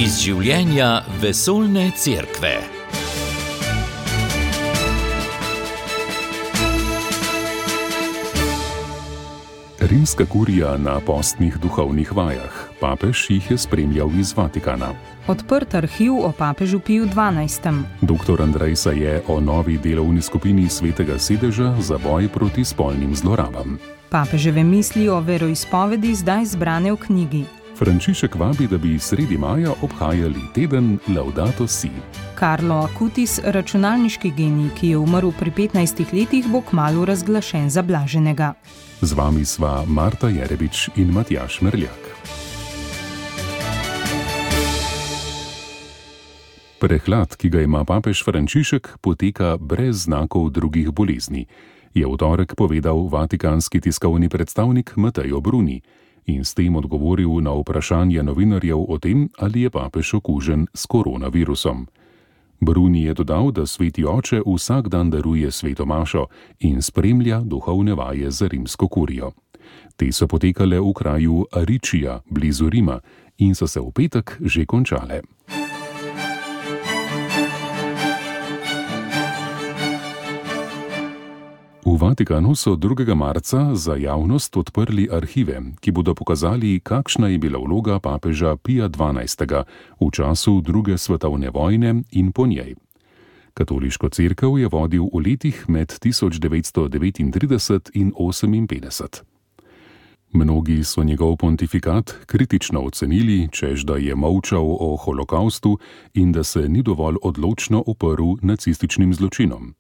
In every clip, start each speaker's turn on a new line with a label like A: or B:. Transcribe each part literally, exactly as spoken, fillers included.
A: Iz življenja vesoljne cerkve.
B: Rimska kurija na postnih duhovnih vajah. Papež jih je spremljal iz Vatikana.
C: Odprt arhiv o papežu Piju dvanajstem.
B: Doktor Andrej Saje o novi delovni skupini Svetega sedeža za boj proti spolnim zlorabam.
C: Papeževe misli o veroizpovedi zdaj zbrane v knjigi.
B: Frančišek vabi, da bi sredi maja obhajali teden Laudato Si.
C: Carlo Acutis, računalniški genij, ki je umrl pri petnajstih letih, bo kmalu razglašen za blaženega.
B: Z vami sva Marta Jerebič in Matjaž Merljak. Prehlad, ki ga ima papež Frančišek, poteka brez znakov drugih bolezni, je v torek povedal vatikanski tiskovni predstavnik Matteo Bruni in s tem odgovoril na vprašanje novinarjev o tem, ali je papež okužen s koronavirusom. Bruni je dodal, da sveti oče vsak dan daruje sveto mašo in spremlja duhovne vaje za rimsko kurijo. Te so potekale v kraju Aričija, blizu Rima, in so se v petek že končale. V Vatikanu so drugega marca za javnost odprli arhive, ki bodo pokazali, kakšna je bila vloga papeža Pija dvanajstega v času druge svetovne vojne in po njej. Katoliško cerkev je vodil v letih med tisoč devetsto devetintrideset in oseminpetdeset. Mnogi so njegov pontifikat kritično ocenili, češ da je molčal o holokaustu in da se ni dovolj odločno uprl nacističnim zločinom.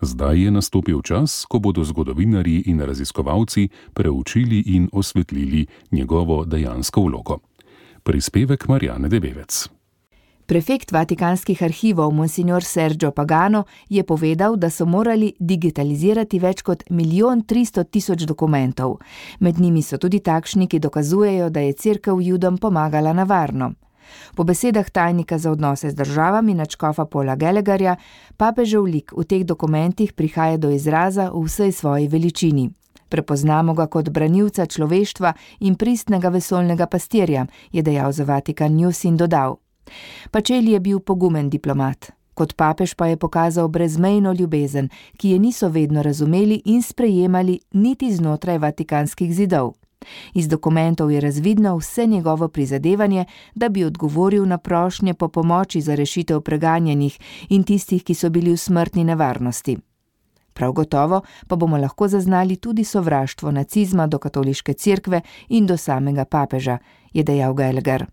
B: Zdaj je nastopil čas, ko bodo zgodovinarji in raziskovalci preučili in osvetlili njegovo dejansko vlogo. Prispevek Marjane Debevec.
D: Prefekt vatikanskih arhivov monsignor Sergio Pagano je povedal, da so morali digitalizirati več kot milijon tristo tisoč dokumentov. Med njimi so tudi takšni, ki dokazujejo, da je cerkev Judom pomagala na varno. Po besedah tajnika za odnose z državami nadškofa Paula Gallagherja, papežev lik v teh dokumentih prihaja do izraza v vsej svoji veličini. Prepoznamo ga kot branilca človeštva in pristnega vesoljnega pastirja, je dejal za Vatikan News in dodal. Pacelli je bil pogumen diplomat. Kot papež pa je pokazal brezmejno ljubezen, ki je niso vedno razumeli in sprejemali niti znotraj vatikanskih zidov. Iz dokumentov je razvidno vse njegovo prizadevanje, da bi odgovoril na prošnje po pomoči za rešitev preganjenih in tistih, ki so bili v smrtni nevarnosti. Prav gotovo pa bomo lahko zaznali tudi sovraštvo nacizma do katoliške cerkve in do samega papeža, je dejal Gallagher.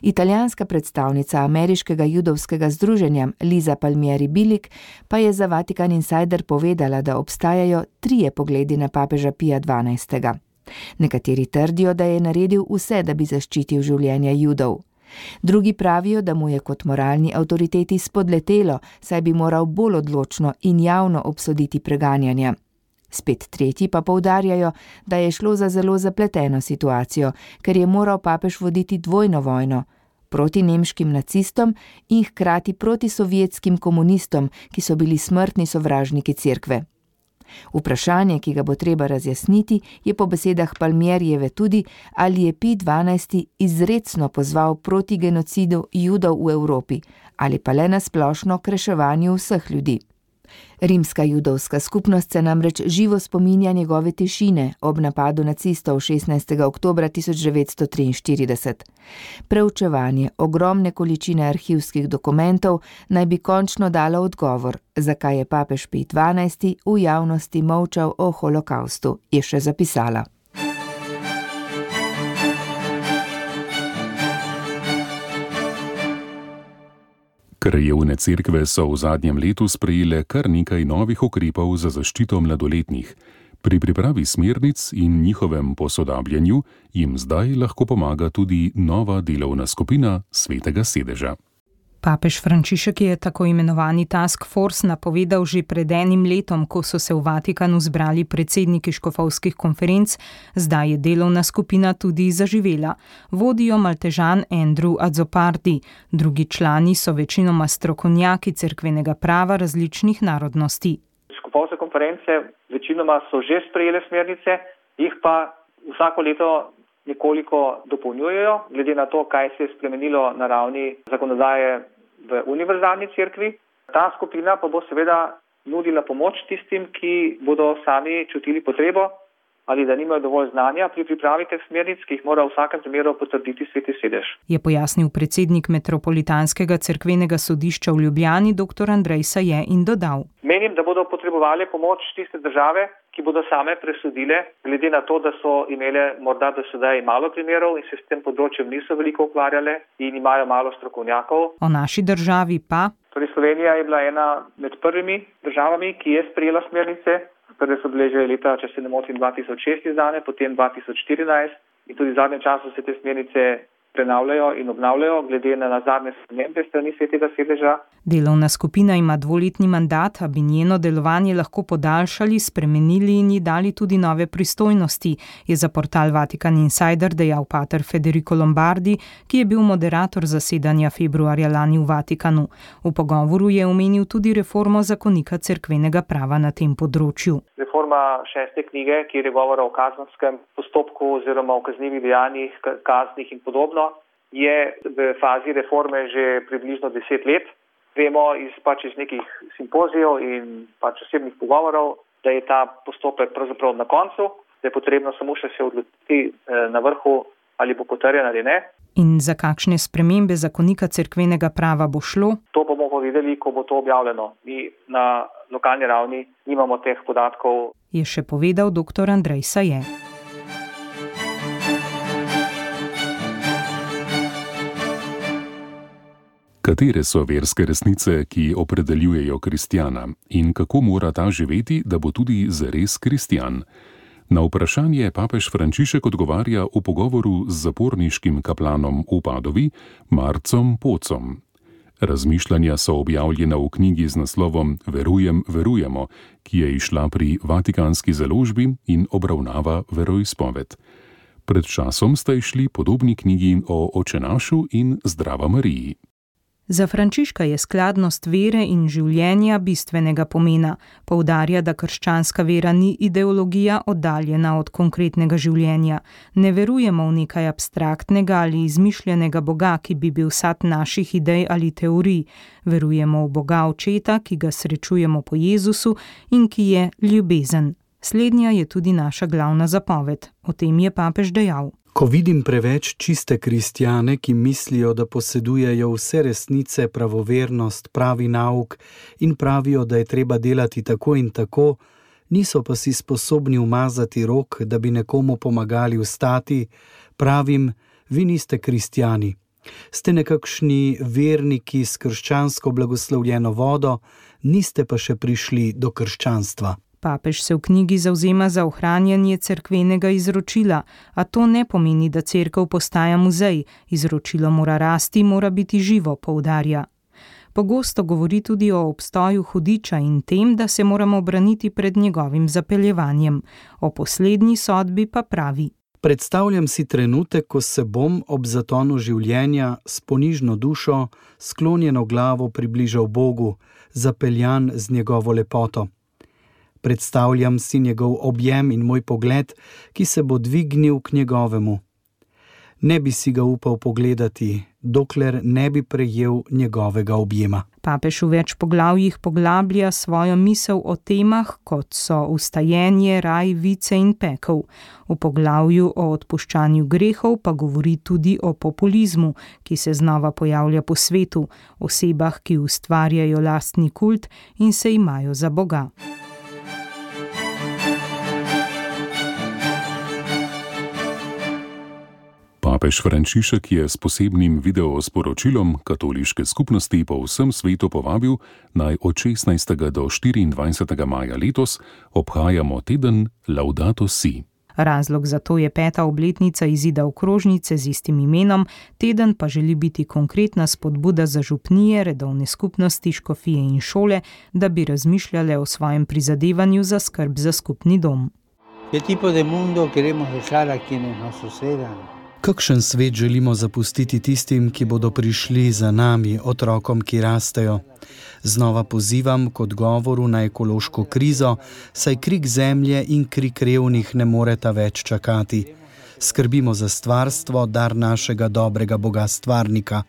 D: Italijanska predstavnica ameriškega judovskega združenja Liza Palmieri Bilik pa je za Vatikan Insider povedala, da obstajajo trije pogledi na papeža Pija dvanajstega. Nekateri trdijo, da je naredil vse, da bi zaščitil življenja Judov. Drugi pravijo, da mu je kot moralni avtoriteti spodletelo, saj bi moral bolj odločno in javno obsoditi preganjanja. Spet tretji pa poudarjajo, da je šlo za zelo zapleteno situacijo, ker je moral papež voditi dvojno vojno, proti nemškim nacistom in hkrati proti sovjetskim komunistom, ki so bili smrtni sovražniki cerkve. Vprašanje, ki ga bo treba razjasniti, je po besedah Palmierijeve tudi, ali je Pij dvanajsti izrecno pozval proti genocidu Judov v Evropi ali pa le na splošno k reševanju vseh ljudi. Rimska judovska skupnost se namreč živo spominja njegove tišine ob napadu nacistov šestnajstega oktobra tisoč devetsto triinštirideset. Preučevanje ogromne količine arhivskih dokumentov naj bi končno dalo odgovor, zakaj je papež Pij dvanajsti v javnosti molčal o holokaustu, je še zapisala.
B: Krajevne cerkve so v zadnjem letu sprejele kar nekaj novih ukrepov za zaščito mladoletnih. Pri pripravi smernic in njihovem posodabljanju jim zdaj lahko pomaga tudi nova delovna skupina Svetega sedeža.
C: Papež Frančišek je tako imenovani task force napovedal že pred enim letom, ko so se v Vatikanu zbrali predsedniki škofovskih konferenc, zdaj je delovna skupina tudi zaživela. Vodijo Maltežan Andrew Azzopardi, drugi člani so večinoma strokovnjaki cerkvenega prava različnih narodnosti.
E: Škofovske konference večinoma so že sprejele smernice, jih pa vsako leto nekoliko dopolnjujejo, glede na to, kaj se je spremenilo na ravni zakonodaje v univerzalni cerkvi. Ta skupina pa bo seveda nudila pomoč tistim, ki bodo sami čutili potrebo ali da nimajo dovolj znanja pri pripravi teh smernic, ki jih mora v vsakem primeru potrditi Sveti sedež.
C: Je pojasnil predsednik Metropolitanskega cerkvenega sodišča v Ljubljani dr. Andrej Saje in dodal:
E: Menim, da bodo potrebovali pomoč tiste države, ki bodo same presodile, glede na to, da so imele morda do sedaj malo primerov in se s tem področjem niso veliko ukvarjale in imajo malo strokovnjakov.
C: O naši državi pa?
E: Torej Slovenija je bila ena med prvimi državami, ki je sprejela smernice. Prve so bile že leta, če se ne motim, dva tisoč šest izdane, potem dva tisoč štirinajst in tudi v zadnjem času se te smernice prenavljajo in obnavljajo glede na zadnje spremembe strani Svetega sedeža.
C: Delovna skupina ima dvoletni mandat, a bi njeno delovanje lahko podaljšali, spremenili in ji dali tudi nove pristojnosti, je za portal Vatikan Insider dejal pater Federico Lombardi, ki je bil moderator zasedanja februarja lani v Vatikanu. V pogovoru je omenil tudi reformo zakonika cerkvenega prava na tem področju.
E: Reforma šeste knjige, kjer je govora o kazenskem postopku oziroma o kaznivih dejanjih, kaznih in podobno, je v fazi reforme že približno deset let. Vemo iz, pač iz nekih simpozijev in pač osebnih pogovorov, da je ta postopek pravzaprav na koncu, da je potrebno samo še se odločiti na vrhu, ali bo potrjen ali ne.
C: In za kakšne spremembe zakonika cerkvenega prava bo šlo?
E: To bomo povedali, ko bo to objavljeno. Mi na lokalni ravni nimamo teh podatkov.
C: Je še povedal dr. Andrej Saje.
B: Katere so verske resnice, ki opredeljujejo kristjana in kako mora ta živeti, da bo tudi zares kristjan? Na vprašanje papež Frančišek odgovarja v pogovoru z zaporniškim kaplanom v Padovi, Marcom Pocom. Razmišljanja so objavljena v knjigi z naslovom Verujem, verujemo, ki je izšla pri Vatikanski založbi in obravnava veroizpoved. Pred časom sta izšli podobni knjigi o Očenašu in Zdrava Mariji.
C: Za Frančiška je skladnost vere in življenja bistvenega pomena. Poudarja, da krščanska vera ni ideologija oddaljena od konkretnega življenja. Ne verujemo v nekaj abstraktnega ali izmišljenega Boga, ki bi bil sad naših idej ali teorij. Verujemo v Boga Očeta, ki ga srečujemo po Jezusu in ki je ljubezen. Slednja je tudi naša glavna zapoved. O tem je papež dejal.
F: Ko vidim preveč čiste kristjane, ki mislijo, da posedujejo vse resnice, pravovernost, pravi nauk in pravijo, da je treba delati tako in tako, niso pa si sposobni umazati rok, da bi nekomu pomagali vstati, pravim, vi niste kristjani. Ste nekakšni verniki s krščansko blagoslovljeno vodo, niste pa še prišli do krščanstva.
C: Papež se v knjigi zavzema za ohranjanje cerkvenega izročila, a to ne pomeni, da cerkev postaja muzej. Izročilo mora rasti, mora biti živo, poudarja. Pogosto govori tudi o obstoju hudiča in tem, da se moramo braniti pred njegovim zapeljevanjem. O poslednji sodbi pa pravi.
F: Predstavljam si trenutek, ko se bom ob zatonu življenja s ponižno dušo, sklonjeno glavo približal Bogu, zapeljan z njegovo lepoto. Predstavljam si njegov objem in moj pogled, ki se bo dvignil k njegovemu. Ne bi si ga upal pogledati, dokler ne bi prejel njegovega objema.
C: Papež v več poglavjih poglablja svojo misel o temah, kot so vstajenje, raj, vice in pekel. V poglavju o odpuščanju grehov pa govori tudi o populizmu, ki se znova pojavlja po svetu, osebah, ki ustvarjajo lastni kult in se imajo za Boga.
B: Papež Frančišek je s posebnim videosporočilom katoliške skupnosti po vsem svetu povabil, naj od šestnajstega do štiriindvajsetega maja letos obhajamo teden Laudato Si.
C: Razlog za to je peta obletnica izida okrožnice z istim imenom, teden pa želi biti konkretna spodbuda za župnije, redovne skupnosti, škofije in šole, da bi razmišljale o svojem prizadevanju za skrb za skupni dom.
G: ¿Qué tipo de mundo queremos dejar a quienes nos sucedan?
F: Kakšen svet želimo zapustiti tistim, ki bodo prišli za nami, otrokom, ki rastejo? Znova pozivam k odgovoru na ekološko krizo, saj krik zemlje in krik revnih ne moreta več čakati. skrbimo za stvarstvo, dar našega dobrega Boga stvarnika.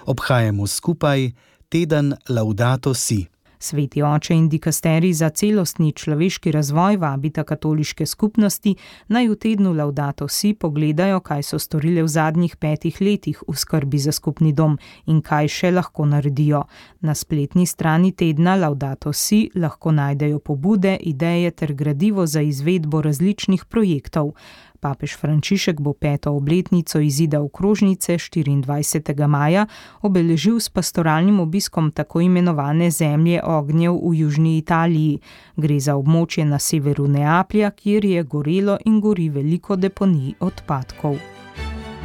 F: Obhajamo skupaj teden Laudato Si.
C: Sveti oče in dikasterij za celostni človeški razvoj vabita katoliške skupnosti, naj v tednu Laudato Si pogledajo, kaj so storile v zadnjih petih letih v skrbi za skupni dom in kaj še lahko naredijo. Na spletni strani tedna Laudato Si lahko najdejo pobude, ideje ter gradivo za izvedbo različnih projektov. Papež Frančišek bo peto obletnico izida okrožnice štiriindvajsetega maja obeležil s pastoralnim obiskom tako imenovane zemlje ognjev v južni Italiji. Gre za območje na severu Neaplja, kjer je gorelo in gori veliko deponij odpadkov.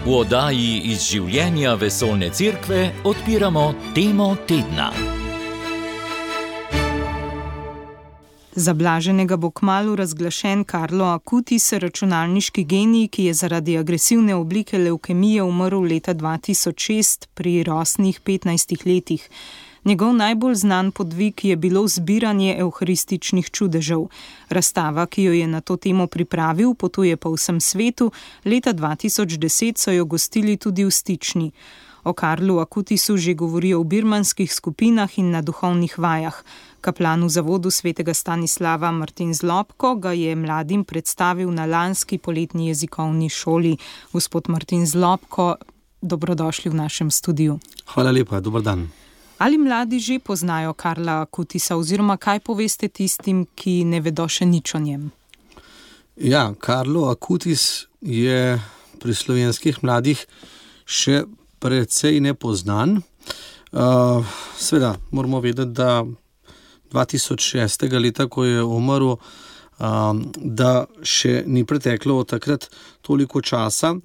A: V oddaji iz življenja Vesoljne cerkve odpiramo temo tedna.
C: Za blaženega bo kmalu razglašen Carlo Acutis, računalniški genij, ki je zaradi agresivne oblike levkemije umrl leta dva tisoč šest pri rosnih petnajstih letih. Njegov najbolj znan podvig je bilo zbiranje evharističnih čudežev. Razstava, ki jo je na to temo pripravil, potuje po vsem svetu, leta dva tisoč deset so jo gostili tudi v Stični. O Carlu Acutisu že govorijo v birmanskih skupinah in na duhovnih vajah. Kaplan v zavodu svetega Stanislava Martin Zlobko ga je mladim predstavil na lanski poletni jezikovni šoli. Gospod Martin Zlobko, dobrodošli v našem studiu.
H: Hvala lepa, dober dan.
C: Ali mladi že poznajo Carla Acutisa oziroma kaj poveste tistim, ki ne vedo še nič o njem?
H: Ja, Carlo Acutis je pri slovenskih mladih še precej nepoznan. Uh, Seveda, moramo vedeti, da dva tisoč šestega leta, ko je umrl, um, da še ni preteklo od takrat toliko časa.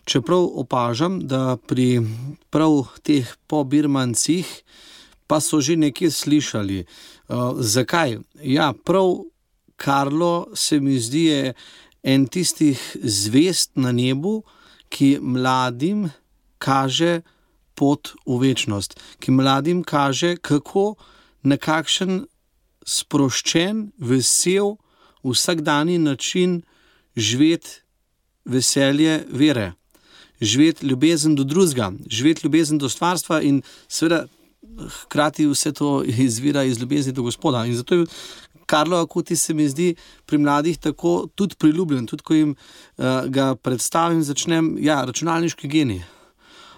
H: Čeprav opažam, da pri prav teh pobirmancih pa so že nekaj slišali. Uh, zakaj? Ja, prav Carlo se mi zdi je en tistih zvest na nebu, ki mladim kaže pot v večnost, ki mladim kaže, kako na kakšen sproščen, vesel, vsakdanji način živeti veselje vere, živeti ljubezen do drugega, živeti ljubezen do stvarstva in seveda hkrati vse to izvira iz ljubezni do Gospoda. In zato je Carlo Acutis se mi zdi pri mladih tako tudi priljubljen, tudi ko jim uh, ga predstavim, začnem, ja, računalniški genij.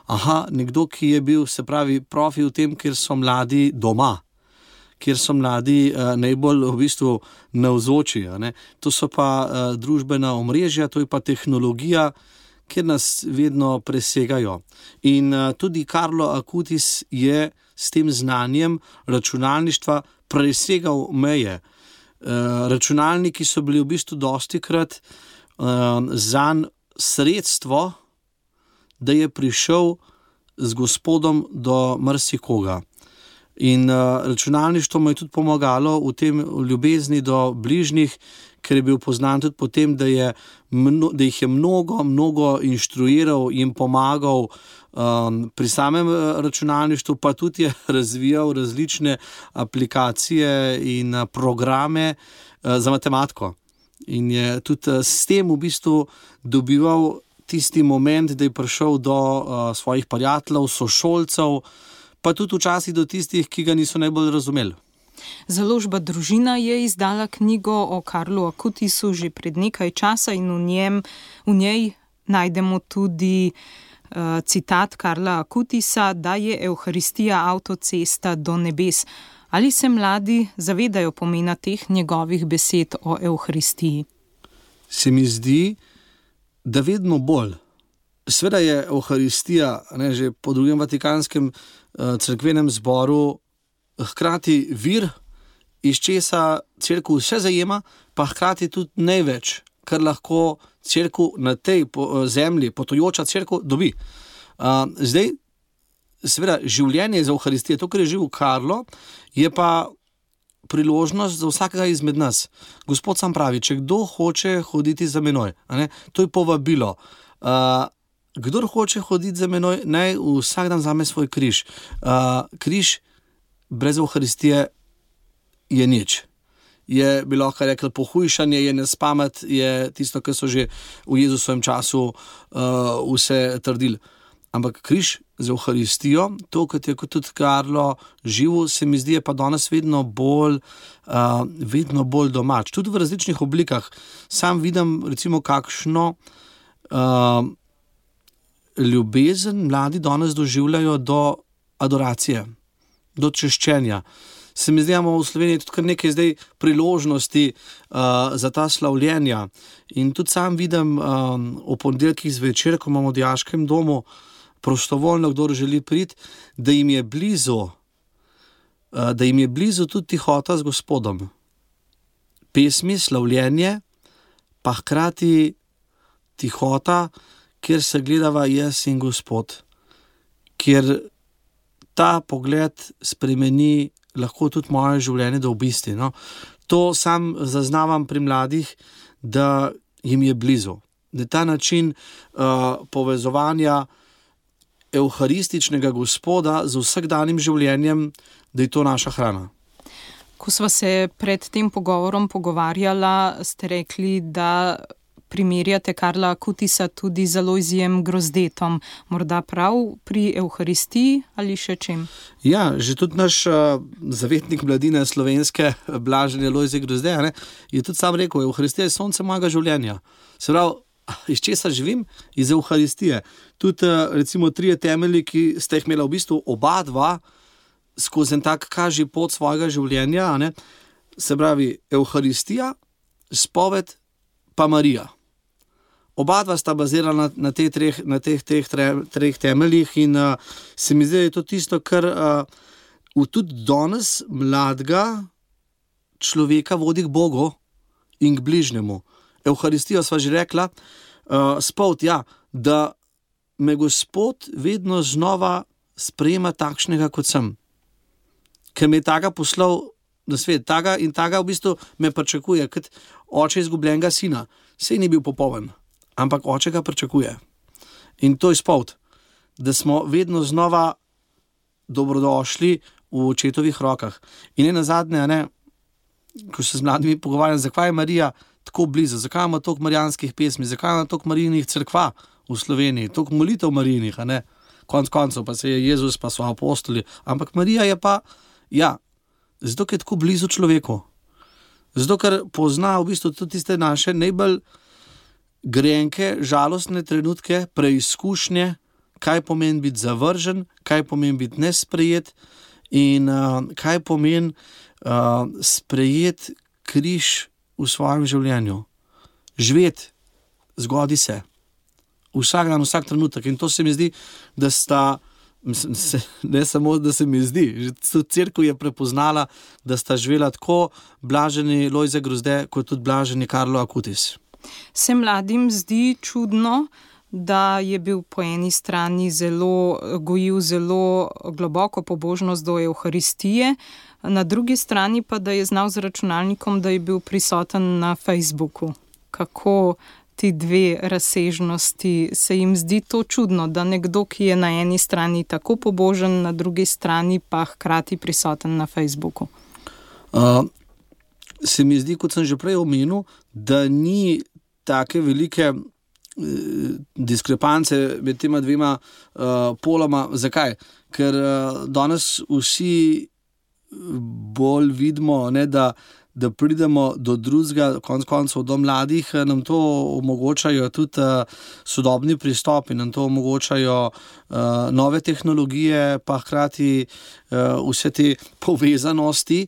H: Aha, nekdo, ki je bil, se pravi, profi v tem, kjer so mladi doma, kjer so mladi uh, najbolj v bistvu navzoči. To so pa uh, družbena omrežja, to je pa tehnologija, kjer nas vedno presegajo. In uh, tudi Carlo Acutis je s tem znanjem računalništva presegal meje. Uh, računalniki so bili v bistvu dostikrat uh, zanj sredstvo, da je prišel z Gospodom do marsikoga. In uh, računalništvo mu je tudi pomagalo v tem ljubezni do bližnjih, ker je bil poznan tudi po tem, da, je mno, da jih je mnogo, mnogo inštruiral in pomagal um, pri samem računalništvu, pa tudi je razvijal različne aplikacije in uh, programe uh, za matematiko. In je tudi uh, s tem v bistvu dobival tisti moment, da je prišel do uh, svojih prijateljev, sošolcev, pa tudi včasih do tistih, ki ga niso najbolj razumeli.
C: Založba Družina je izdala knjigo o Carlu Acutisu že pred nekaj časa in v, njem, v njej najdemo tudi uh, citat Carla Acutisa, da je Evharistija avtocesta do nebes. Ali se mladi zavedajo pomena teh njegovih besed o Evharistiji?
H: Se mi zdi, da vedno bolj. Sveda je Evharistija, ne, že po drugem Vatikanskem uh, cerkvenem zboru hkrati vir, iz česa cerkev vse zajema, pa hkrati tudi največ, kar lahko cerkev na tej po, zemlji, potujoča cerkev, dobi. Uh, zdaj, seveda, življenje za Evharistijo, to, kar je živel Carlo, je pa priložnost za vsakega izmed nas. Gospod sam pravi, če kdo hoče hoditi za menoj, ne, to je povabilo. Uh, kdor hoče hoditi za menoj, naj vsak dan vzame svoj križ. Uh, križ brez Evharistije je nič. je bilo, kar rekel, pohujšanje, je nespamet, je tisto, kar so že v Jezusovem času uh, vse trdili. Ampak križ z Evharistijo, to, kot je kot tudi Karlo živo, se mi zdi, je pa danes vedno bolj, uh, vedno bolj domač. Tudi v različnih oblikah. Sam vidim, recimo, kakšno uh, ljubezen mladi danes doživljajo do adoracije, do češčenja. Se mi zdi, da imamo v Sloveniji tudi kar nekaj zdaj priložnosti uh, za ta slavljenja. In tudi sam vidim um, o ponedeljkih zvečer, ko imamo v dijaškem domu prostovoljno, kdo želi priti, da jim je blizu, uh, da jim je blizu tudi tihota z Gospodom. Pesmi, slavljenje, pa hkrati tihota, kjer se gledava jaz in Gospod, kjer ta pogled spremeni lahko tudi moje življenje do obisti. No? To sam zaznavam pri mladih, da jim je blizu. Da je ta način uh, povezovanja evharističnega Gospoda z vsakdanjim življenjem, da je to naša hrana.
C: Ko sva se pred tem pogovorom pogovarjala, ste rekli, da primerjate Karla Akutisa tudi z Alojzijem Grozdetom. Morda prav pri Evharistiji ali še čem?
H: Ja, že tudi naš uh, zavetnik mladine slovenske, blaženi Alojzij Grozdej, ne, je tudi sam rekel, Evharistija je sonce mojega življenja. Se pravi, iz česa živim? Iz Evharistije. Tudi uh, recimo trije temelji, ki ste jih imela v bistvu oba dva skozi en tak kaži pot svojega življenja, ne, se pravi Evharistija, spoved pa Marija. Oba dva sta bazirala na, na, te treh, na teh, teh tre, treh temeljih in uh, se mi zdi, da je to tisto, kar uh, tudi danes mladega človeka vodi k Bogu in k bližnjemu. Evharistijo sva že rekla, uh, spoved, ja, da me Gospod vedno znova sprejema takšnega, kot sem. Ker me je taga poslal na svet, taga in taga v bistvu me pričakuje, kot oče izgubljenega sina. Sej ni bil popoln, ampak oče ga pričakuje. In to je spoved, da smo vedno znova dobrodošli v očetovih rokah. In ne nazadnje, ne, ko se z mladimi pogovarjam, zakaj je Marija tako blizu, zakaj ima toliko marijanskih pesmi, zakaj ima toliko marijinih cerkva v Sloveniji, toliko molitev marijinih, a ne, konc koncev pa se je Jezus, pa so apostoli, ampak Marija je pa, ja, zato, ker je tako blizu človeku. Zato, ker pozna v bistvu tudi tiste naše najbolj grenke, žalostne trenutke, preizkušnje, kaj pomeni biti zavržen, kaj pomeni biti nesprejet in uh, kaj pomeni uh, sprejet križ v svojem življenju. Živeti, zgodi se. Vsak dan, vsak trenutek. In to se mi zdi, da sta, ne samo, da se mi zdi, že cerkev je prepoznala, da sta živela tako blaženi Alojzij Grozdej, kot tudi blaženi Karlo Akutis.
C: Se mladim zdi čudno, da je bil po eni strani zelo, gojil zelo globoko pobožnost do Evharistije, na drugi strani pa, da je znal z računalnikom, da je bil prisoten na Facebooku. Kako ti dve razsežnosti, se jim zdi to čudno, da nekdo, ki je na eni strani tako pobožen, na drugi strani pa hkrati prisoten na Facebooku?
H: Uh, se mi zdi, kot sem že prej omenil, da ni take velike uh, diskrepance med tema dvema uh, poloma. Zakaj? Ker uh, danes vsi bolj vidimo, ne, da da pridemo do drugega, konc koncev do mladih, nam to omogočajo tudi uh, sodobni pristopi, nam to omogočajo uh, nove tehnologije, pa hkrati uh, vse te povezanosti,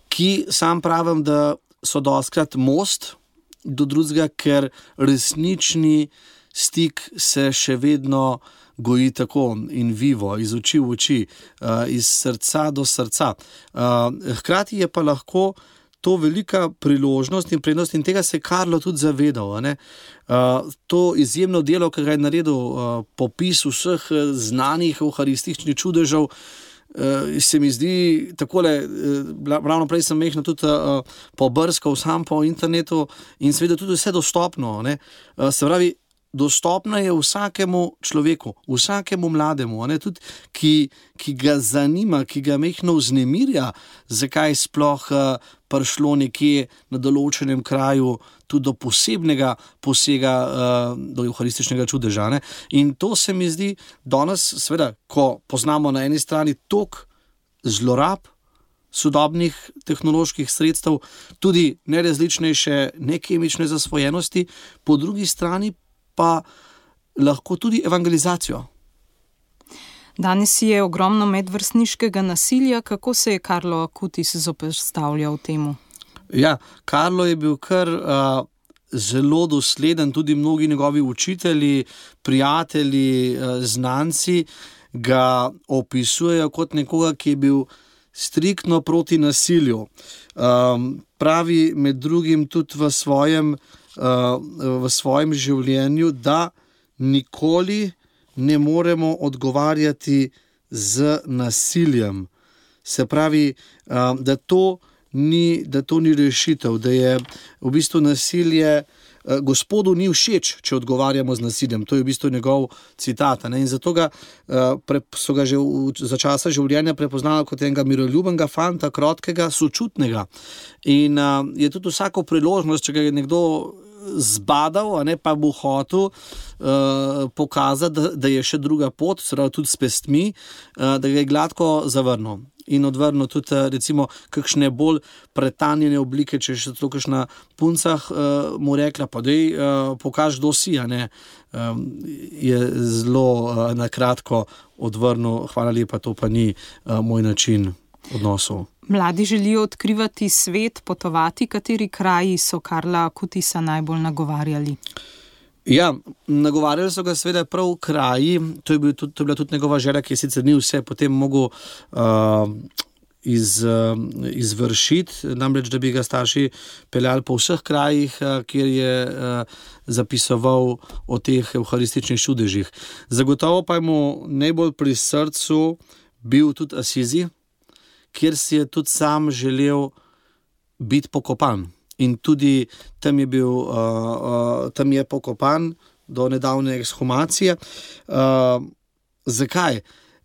H: ki sam pravim, da so dostikrat most do drugega, ker resnični stik se še vedno goji tako in vivo, iz oči v oči, uh, iz srca do srca. Uh, hkrati je pa lahko to velika priložnost in prednost in tega se je Karlo tudi zavedal. Ne? Uh, to izjemno delo, ki ga je naredil, uh, popis vseh znanih evharističnih čudežev, uh, se mi zdi takole, uh, ravno prej sem mehno tudi uh, pobrskal sam po internetu in seveda tudi vse dostopno. Ne? Uh, se pravi, dostopna je vsakemu človeku, vsakemu mlademu, ne, tudi, ki, ki ga zanima, ki ga mehno vznemirja, zakaj sploh uh, prišlo nekje na določenem kraju tudi do posebnega posega, uh, do evharističnega čudeža. Ne. In to se mi zdi danes, seveda, ko poznamo na eni strani tok zlorab sodobnih tehnoloških sredstev, tudi nerazličnejše nekemične zasvojenosti, po drugi strani pa lahko tudi evangelizacijo.
C: Danes je ogromno medvrstniškega nasilja. Kako se je Carlo Acutis zoperstavljal temu?
H: Ja, Carlo je bil kar uh, zelo dosleden, tudi mnogi njegovi učitelji, prijatelji, uh, znanci ga opisujejo kot nekoga, ki je bil striktno proti nasilju. Um, pravi med drugim tudi v svojem, uh, v svojem življenju, da nikoli ne moremo odgovarjati z nasiljem. Se pravi, uh, da, to ni, da to ni rešitev, da je v bistvu nasilje Gospodu ni všeč, če odgovarjamo z nasiljem. To je v bistvu njegov citat. Ne? In zato ga, so ga že v, za časa življenja prepoznali kot enega miroljubnega fanta, krotkega, sočutnega. In a, je tudi vsako priložnost, če ga je nekdo zbadal, a ne, pa bo hotel uh, pokazati, da, da je še druga pot, seveda tudi s pestmi, uh, da ga je gladko zavrnil. In odvrnil tudi, recimo, kakšne bolj pretanjene oblike, če še to kakšna puncah uh, mu rekla, pa dej, uh, pokaž, kdo si, a ne, um, je zelo uh, nakratko odvrnil, hvala lepa, to pa ni uh, moj način odnosov.
C: Mladi želijo odkrivati svet, potovati. Kateri kraji so Carla Acutisa najbolj nagovarjali?
H: Ja, nagovarjali so ga seveda prav kraji, to je, bil tudi, to je bila tudi njegova želja, ki je sicer ni vse potem mogel uh, iz, uh, izvršiti, namreč da bi ga starši peljali po vseh krajih, uh, kjer je uh, zapisoval o teh evharističnih čudežih. Zagotovo pa je mu najbolj pri srcu bil tudi Asizi, kjer si je tudi sam želel biti pokopan. In tudi tam je bil, uh, uh, tam je pokopan do nedavne ekshumacije. Uh, zakaj?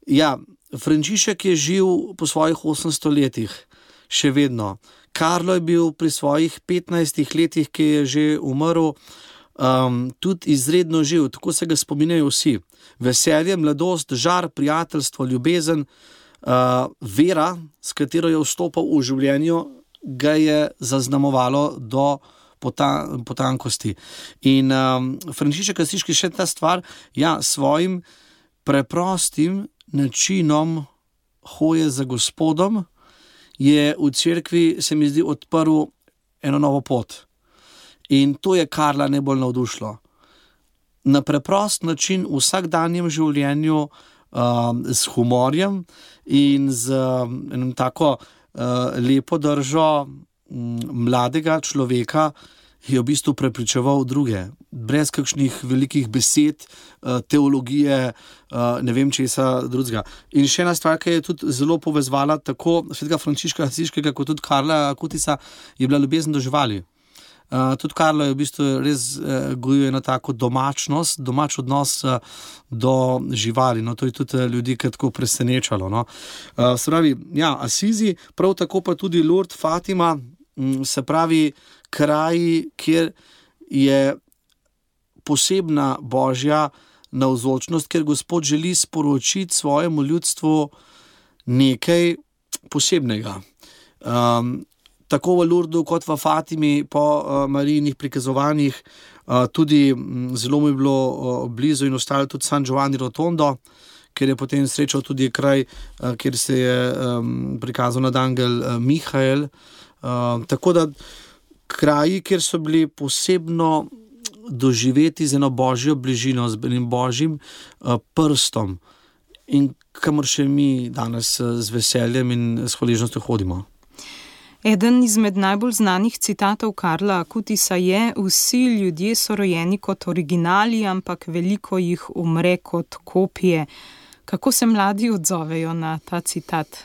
H: Ja, Frančišek je živ po svojih osemsto letih, še vedno. Carlo je bil pri svojih petnajstih letih, ki je že umrl, um, tudi izredno živ, tako se ga spominjajo vsi. Veselje, mladost, žar, prijateljstvo, ljubezen, uh, vera, s katero je vstopal v življenju, ga je zaznamovalo do potan- potankosti. In um, Frančišek Asiški še ta stvar, ja, svojim preprostim načinom hoje za Gospodom je v cerkvi, se mi zdi, odprl eno novo pot. In to je Carla najbolj navdušilo. Na preprost način v vsakdanjem življenju um, s humorjem in z um, enim tako Uh, lepo držo um, mladega človeka je v bistvu prepričeval druge, brez kakšnih velikih besed, uh, teologije, uh, ne vem česa drugega. In še ena stvar, ki je tudi zelo povezvala tako svetega Frančiška Asiškega kot tudi Carla Acutisa, je bila ljubezen do živali. Uh, tudi Carlo je v bistvu res uh, gojil eno tako domačnost, domač odnos uh, do živali. No, to je tudi uh, ljudi tako presenečalo. No. Uh, se pravi, ja, Asizi, prav tako pa tudi Lourdes, Fatima, m, se pravi, kraji, kjer je posebna božja navzočnost, ker Gospod želi sporočiti svojemu ljudstvu nekaj posebnega. Um, Tako v Lourdesu kot v Fatimi po uh, Marijinih prikazovanjih, uh, tudi m, zelo mi je bilo uh, blizu in ostalo tudi San Giovanni Rotondo, kjer je potem srečal tudi kraj, uh, kjer se je um, prikazal nadangel uh, Mihael. Uh, tako da kraji, kjer so bili posebno doživeti z eno božjo bližino, z enim božjim uh, prstom in kamor še mi danes uh, z veseljem in s hvaležnostjo hodimo.
C: Eden izmed najbolj znanih citatov Carla Acutisa je: vsi ljudje so rojeni kot originali, ampak veliko jih umre kot kopije. Kako se mladi odzovejo na ta citat?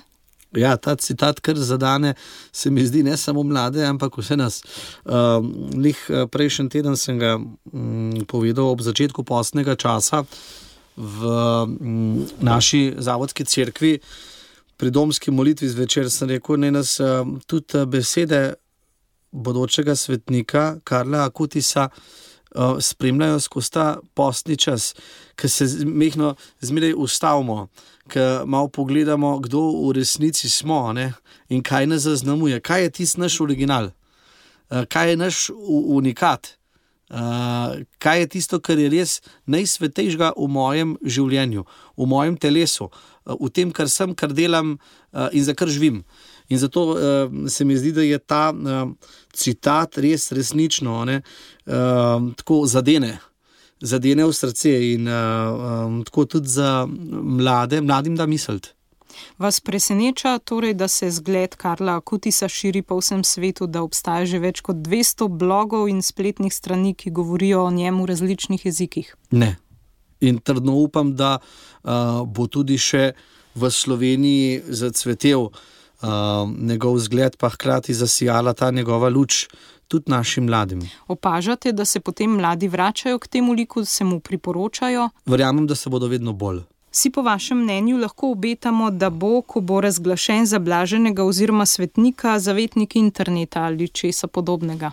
H: Ja, ta citat kar zadane, se mi zdi, ne samo mlade, ampak vse nas. Uh, lih prejšnji teden sem ga um, povedal ob začetku postnega časa v um, naši zavodski cerkvi, pri domski molitvi zvečer sem rekel, ne nas uh, tudi besede bodočega svetnika Karla Akutisa uh, spremljajo skozi ta postni čas, ker se mehno zmeraj ustavimo, ker malo pogledamo, kdo v resnici smo, ne? In kaj nas zaznamuje, kaj je tisti naš original, uh, kaj je naš unikat, uh, kaj je tisto, kar je res najsvetejšega v mojem življenju, v mojem telesu, uh, v tem, kar sem, kar delam uh, in za kar živim. In zato uh, se mi zdi, da je ta uh, citat res resnično, ne, uh, tako zadene. zadene v srce in uh, um, tako tudi za mlade, mladim da misliti.
C: Vas preseneča torej, da se zgled Karla Akutisa širi po vsem svetu, da obstaja že več kot dvesto blogov in spletnih strani, ki govorijo o njem v različnih jezikih?
H: Ne. In trdno upam, da uh, bo tudi še v Sloveniji zacvetel uh, njegov zgled, pa hkrati zasijala ta njegova luč tudi našim mladim.
C: Opažate, da se potem mladi vračajo k temu liku, se mu priporočajo?
H: Verjamem, da se bodo vedno bolj.
C: Si po vašem mnenju lahko obetamo, da bo, ko bo razglašen za blaženega oziroma svetnika, zavetnik interneta ali česa podobnega?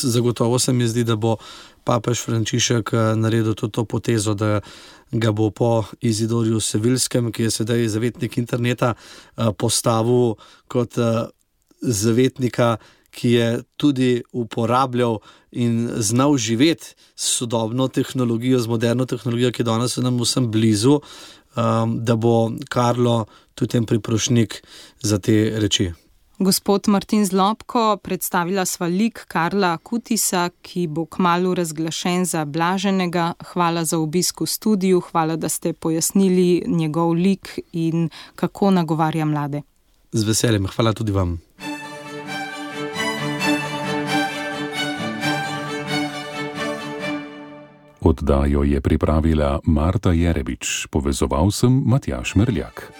H: Zagotovo se mi zdi, da bo papež Frančišek naredil to, to potezo, da ga bo po Izidorju Sevilskem, ki je sedaj zavetnik interneta, postavil kot zavetnika, ki je tudi uporabljal in znal živeti s sodobno tehnologijo, z moderno tehnologijo, ki danes je nam vsem blizu, da bo Karlo tudi en priprošnik za te reči.
C: Gospod Martin Zlobko, predstavila sva lik Karla Akutisa, ki bo kmalu razglašen za blaženega. Hvala za obisk v studiu, hvala, da ste pojasnili njegov lik in kako nagovarja mlade.
H: Z veseljem, hvala tudi vam.
B: Oddajo je pripravila Marta Jerebič, povezoval sem Matjaž Merljak.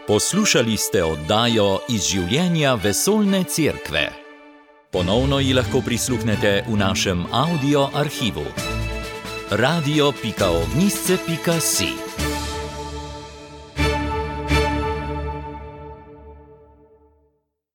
A: Poslušali ste oddajo iz življenja Vesoljne cerkve. Ponovno ji lahko prisluhnete v našem audio arhivu. radio pika ognjišče pika si